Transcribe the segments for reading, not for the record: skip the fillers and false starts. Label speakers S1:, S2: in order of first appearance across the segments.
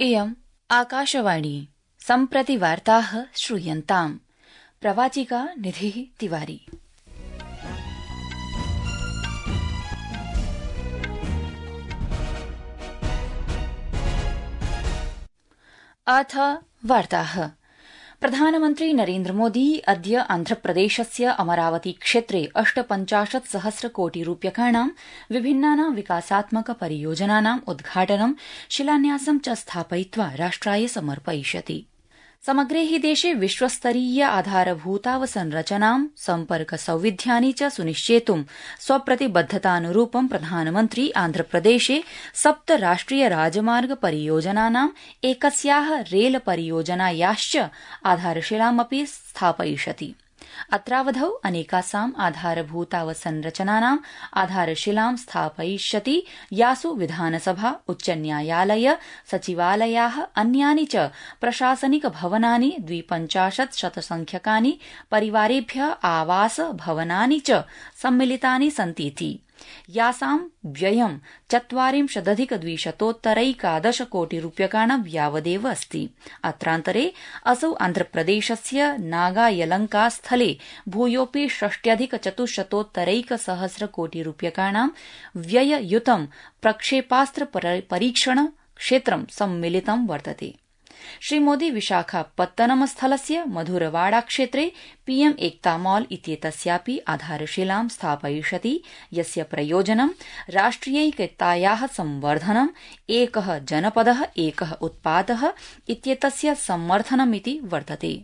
S1: इयम् आकाशवाणी सम्प्रति वार्ताः श्रूयन्ताम्। प्रवाचिका निधिः तिवारी। अथ वार्ताः। प्रधानमन्त्री नरेन्द्र मोदी अद्य आन्ध्रप्रदेशस्य अमरावती क्षेत्रे 58,000 कोटिरूप्यकाणां विभिन्नानां विकासात्मक परियोजनानां उद्घाटनं शिलान्यासं च स्थापयित्वा राष्ट्राय समर्पयिष्यति। समग्रे हि देशे विश्वस्तरीय आधारभूतावसंरचनां सम्पर्क सौविध्यानि च सुनिश्चेतुं स्वप्रतिबद्धतानुरूपं प्रधानमन्त्री आन्ध्रप्रदेशे 7 राष्ट्रिय राजमार्ग परियोजनानां एकस्याः रेल परियोजनायाश्च आधारशिलामपि स्थापयिष्यति। अत्रावधौ अनेकासाम् आधारभूतावसंरचनानाम् आधारशिलां स्थापयिष्यति, यासु विधानसभा, उच्चन्यायालय, सचिवालयाः, अन्यानि च प्रशासनिक भवनानि, 52 शतसंख्यकानि परिवारेभ्यः आवास भवनानि च सम्मिलितानि सन्तीति, यासां व्ययं 40,211 कोटिरूप्यकाणां यावदेव अस्ति। अत्रान्तरे असौ आन्ध्रप्रदेशस्य नागायलंका स्थले भूयोऽपि 6,401 कोटिरूप्यकाणां व्यययुतं प्रक्षेपास्त्र परीक्षण क्षेत्रं सम्मिलितं वर्तते। श्रीमोदी विशाखापत्तनम स्थलस्य मधुरवाड़ा क्षेत्रे पीएम एकता मॉल इत्येतस्यापि आधारशिलां स्थापयिष्यति, यस्य प्रयोजनं राष्ट्रियैकतायाः संवर्धनम्, एकः जनपदः एकः उत्पादः इत्येतस्य समर्थनमिति वर्तते।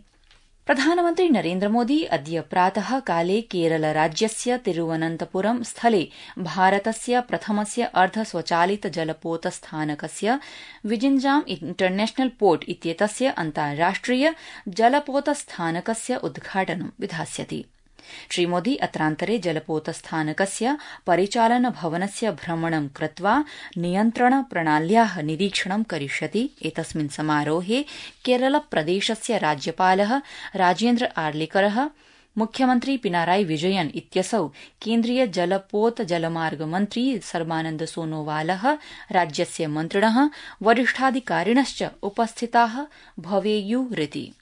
S1: प्रधानमन्त्री नरेन्द्र मोदी अद्य प्रातः काले केरलराज्यस्य तिरुवनन्तपुरम स्थले भारतस्य प्रथमस्य अर्धस्वचालित जलपोतस्थानकस्य विजिञ्जाम इंटरनेशनल पोर्ट इत्येतस्य अन्ताराष्ट्रिय जलपोतस्थानकस्य उद्घाटनं विधास्यति। श्रीमोदी अत्रान्तरे जलपोतस्थानकस्य परिचालन भवनस्य भ्रमणं कृत्वा नियन्त्रण प्रणाल्याः निरीक्षणं करिष्यति। एतस्मिन् समारोहे केरलप्रदेशस्य राज्यपालः राजेन्द्र आर्लेकरः, मुख्यमन्त्री पिनाराई विजयन इत्यसौ केन्द्रीय जलपोत जलमार्ग मन्त्री सर्बानन्द सोनोवालः, राज्यस्य मन्त्रिणः, वरिष्ठाधिकारिणश्च उपस्थिताः भवेयुरिति।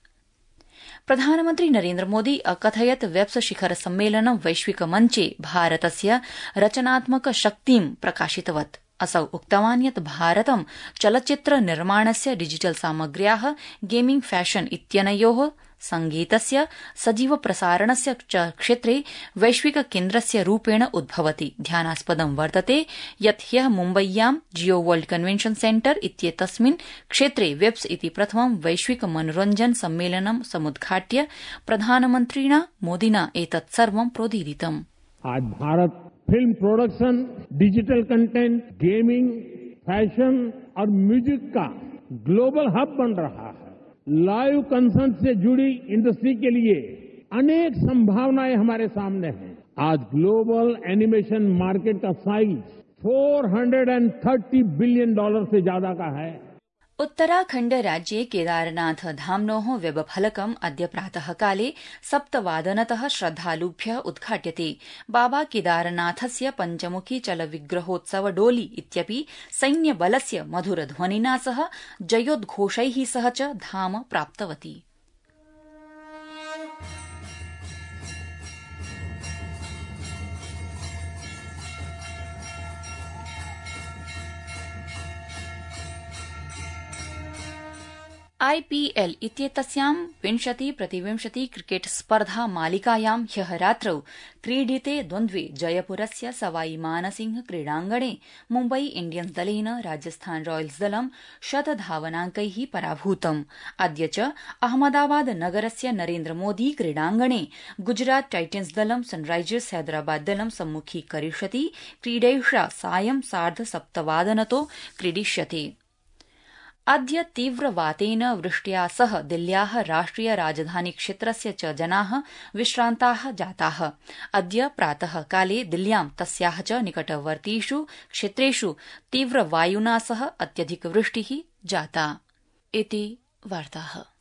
S1: प्रधानमन्त्री नरेन्द्र मोदी अकथयत् वेब्स शिखर सम्मेलनं वैश्विक मञ्चे भारतस्य रचनात्मक शक्तिं प्रकाशितवत्। असौ उक्तवान् यत् भारतं चलच्चित्र निर्माणस्य, डिजिटल सामग्र्याः, गेमिंग, फैशन इत्यनयोः, संगीतस्य, सजीव प्रसारणस्य च क्षेत्रे वैश्विक केन्द्रस्य रूपेण उद्भवति। ध्यानास्पदं वर्तते यत् ह्यः मुम्बय्यां जियो वर्ल्ड कन्वेन्शन सेन्टर इत्येतस्मिन् क्षेत्रे वेब्स इति प्रथमं वैश्विक मनोरञ्जन सम्मेलनं समुद्घाट्य प्रधानमन्त्रिणा मोदिना एतत् सर्वं प्रोदीरितम्।
S2: आज Bharata film production, digital content, gaming, fashion और म्यूजिक का ग्लोबल हब बन रहा है। लाइव कंसर्ट से जुड़ी इंडस्ट्री के लिए अनेक संभावनाएं हमारे सामने हैं। आज ग्लोबल एनिमेशन मार्केट का साइज $430 बिलियन से ज्यादा का है।
S1: उत्तराखण्ड राज्ये केदारनाथ धाम्नोः वेबफलकम् अद्य प्रातःकाले 7:00 श्रद्धालुभ्यः उद्घाट्यते। बाबा केदारनाथस्य पञ्चमुखी चलविग्रहोत्सव डोली इत्यपि सैन्यबलस्य मधुरध्वनिना सह जयोद्घोषैः सह च धाम प्राप्तवती। आईपीएल इत्येतस्यां 20-20 क्रिकेट स्पर्धा मालिकायां ह्यः रात्रौ क्रीडिते द्वन्द्वे जयपुरस्य सवाई मानसिंह क्रीडाङ्गणे मुम्बई इण्डियन्स दलेन राजस्थान रॉयल्स दलं 100 धावनाङ्कैः पराभूतम्। अद्य च अहमदाबाद नगरस्य नरेन्द्र मोदी क्रीडाङ्गणे गुजरात टाइटन्स दलं सनराइजर्स हैदराबाद दलं सम्मुखीकरिष्यति। क्रीडैषा सायं 7:30 क्रीडिष्यते। अद्य तीव्रवातेन वृष्ट्या सह दिल्ल्याः राष्ट्रिय राजधानी क्षेत्रस्य च जनाः विश्रान्ताः जाताः। अद्य प्रातः काले दिल्ल्यां तस्याः च निकटवर्तीषु क्षेत्रेषु तीव्रवायुना सह अत्यधिकवृष्टिः जाता। इति वार्ताः।